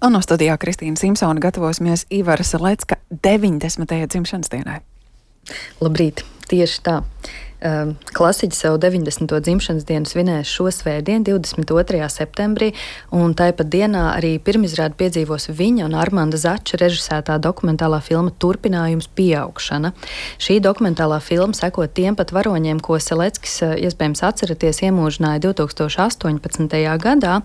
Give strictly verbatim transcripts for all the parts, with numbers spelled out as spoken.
Un no studijā Kristīna Simpsona gatavosimies Ivara Selecka deviņdesmitajai dzimšanas dienai. Labrīt, tieši tā. Klasiķis savu deviņdesmito dzimšanas dienu svinēs šo svētdienu, divdesmit otrajā septembrī, un tāpat dienā arī pirmizrādi piedzīvos viņa un Armanda Zača režisētā dokumentālā filma Turpinājums pieaugšana. Šī dokumentālā filma seko tiem pat varoņiem, ko Seleckis, iespējams atceraties, iemūžināja divi tūkstoši astoņpadsmitajā gadā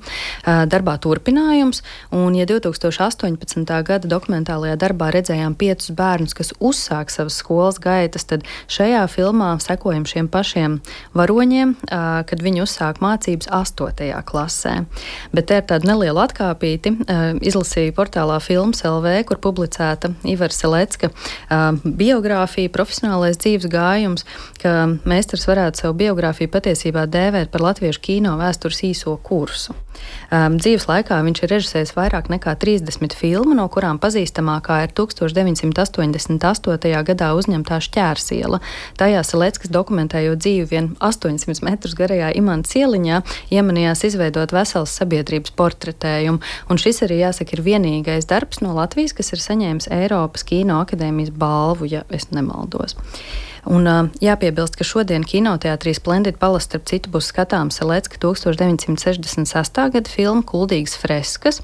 darbā Turpinājums, un ja divi tūkstoši astoņpadsmitā gada dokumentālajā darbā redzējām piecus bērnus, kas uzsāk savas skolas gaitas, tad šajā filmā sekojam šiem pašiem varoņiem, kad viņi uzsāk mācības astotajā klasē. Bet te ir tāda neliela atkāpīti. Izlasīju portālā Films L V, kur publicēta Ivara Selecka biogrāfija, profesionālais dzīves gājums, ka meistars varētu savu biogrāfiju patiesībā dēvēt par latviešu kino vēstures īso kursu. Dzīves laikā viņš ir režisējis vairāk nekā trīsdesmit filmu, no kurām pazīstamākā ir tukstovš deviņsimt astoņdesmit astotajā gadā uzņemtā Šķērsiela. Tajā Seleckis, dokumentējot dzīvi vien astoņsimt metrus garajā Imantas ieliņā, iemanījās izveidot veselas sabiedrības portretējumu, un šis arī, jāsaka, ir vienīgais darbs no Latvijas, kas ir saņēmis Eiropas Kino akadēmijas balvu, ja es nemaldos. Un uh, jāpiebilst, ka šodien kinoteātrī Splendid Palace starp citu būs skatāms Selecka tukstovš deviņsimt sešdesmit sestā gada filma Kuldīgas freskas,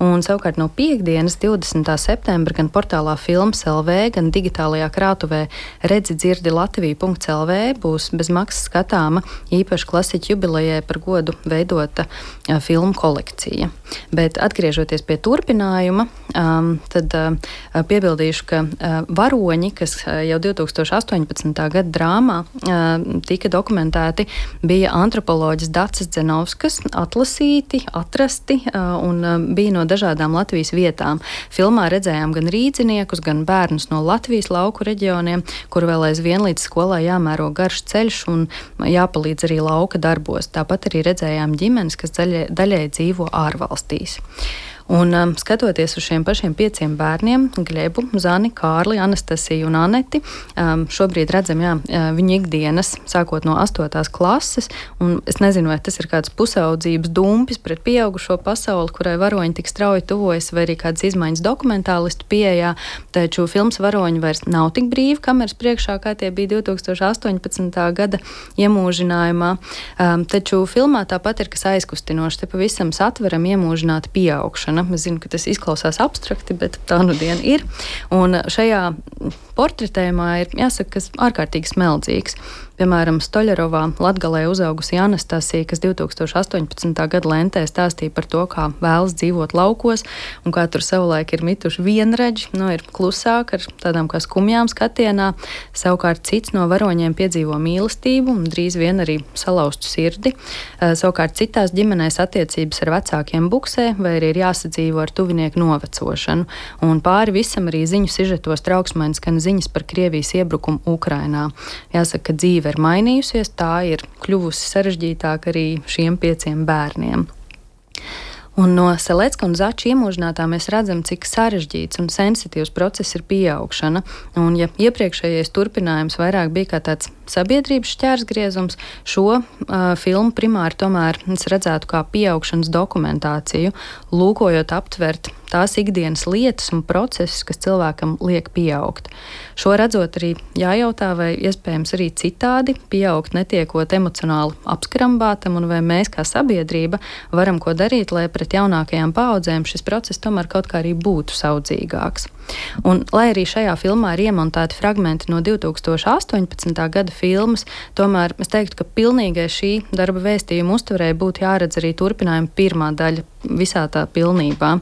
un savukārt no piekdienas, divdesmitā septembra, gan portālā Films L V, gan digitālajā krātuvē redzi dzirdi latvija punkts L V būs bez maksas skatāma īpaši klasiķu jubilejai par godu veidota uh, filmu kolekcija. Bet atgriežoties pie turpinājuma, um, tad uh, piebildīšu, ka uh, varoņi, kas uh, jau divi tūkstoši astoņpadsmitā gada drāmā tika dokumentēti, bija antropoloģis Daces Dzenovskas, atlasīti, atrasti un bija no dažādām Latvijas vietām. Filmā redzējām gan rīdziniekus, gan bērnus no Latvijas lauku reģioniem, kur vēl aizvien līdz skolā jāmēro garš ceļš un jāpalīdz arī lauka darbos. Tāpat arī redzējām ģimenes, kas daļai, daļai dzīvo ārvalstīs. Un um, skatoties uz šiem pašiem pieciem bērniem, Glebu, Zani, Kārli, Anastasiju un Aneti, um, šobrīd redzam, jā, viņu ikdienas, sākot no astotās klases, un es nezinu, vai tas ir kāds pusaudzības dumpis pret pieaugušo pasauli, kurai varoņi tik strauji tuvojas, vai arī kādas izmaiņas dokumentālistu pieejā, taču filmas varoņi vairs nav tik brīvi kameras priekšā, kā tie bija divi tūkstoši astoņpadsmitā gada iemūžinājumā, um, taču filmā tāpat ir kas aizkustinoši, te pavisam satveram iemūžināta pieaugšana. Es zinu, ka tas izklausās abstrakti, bet tā nu diena ir. Un šajā portretējumā ir, jāsaka, kas ārkārtīgi smeldzīgs. Piemēram, Stoļarovā Latgalē uzaugusi Anastasija, kas divi tūkstoši astoņpadsmitā gada lentē stāstīja par to, kā vēlas dzīvot laukos un kā tur savulaik ir mituši vienredži, nu, ir klusāk ar tādām kā skumjām skatienā. Savukārt cits no varoņiem piedzīvo mīlestību un drīz vien arī salauztu sirdi. Savukārt citās ģimenēs attiecības ar vecākiem buksē vai arī ir jāsadzīvo ar tuvinieku novecošanu. Un pāri visam arī ziņu sižetos trauksmainas skan ziņas par Krievijas iebrukumu Ukrainā. Jāsaka, ka dzīve ir mainījusies, tā ir kļuvusi sarežģītāk arī šiem pieciem bērniem. Un no Selecka un Zača iemūžinātā mēs redzam, cik sarežģīts un sensitīvs process ir pieaugšana. Un ja iepriekšējais turpinājums vairāk bija kā tāds sabiedrības šķērsgriezums, šo uh, filmu primāri tomēr es redzētu kā pieaugšanas dokumentāciju, lūkojot aptvert tās ikdienas lietas un procesus, kas cilvēkam liek pieaugt. Šo redzot arī jājautā, vai iespējams arī citādi pieaugt netiekot emocionāli apskrambātam, un vai mēs kā sabiedrība varam ko darīt, lai pret jaunākajām paaudzēm šis process tomēr kaut kā arī būtu saudzīgāks. Un, lai arī šajā filmā ir iemontēti fragmenti no divi tūkstoši astoņpadsmitā gada filmas, tomēr es teiktu, ka pilnīgai šī darba vēstījuma uztverei būtu jāredz arī turpinājuma pirmā daļa visā tā pilnībā,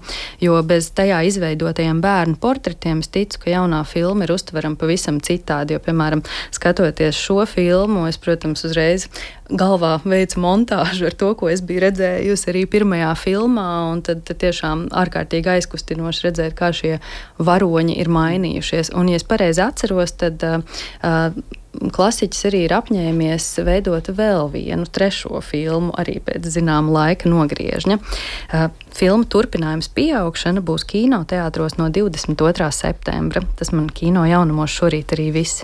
jo bez tajā izveidotajiem bērnu portretiem es ticu, ka jaunā filma ir uztverama pavisam citādi, jo, piemēram, skatoties šo filmu, es, protams, uzreiz galvā veicu montāžu ar to, ko es biju redzējusi arī pirmajā filmā, un tad, tad tiešām ārkārtīgi aizkustinoši redzēt, kā šie varoņi ir mainījušies. Un, ja es pareizi atceros, tad uh, klasiķis arī ir apņēmies veidot vēl vienu trešo filmu, arī pēc zināma laika nogriežņa. Uh, filma Turpinājums pieaugšana būs kinoteātros no divdesmit otrā septembra. Tas man kino jaunumos šorīt arī viss.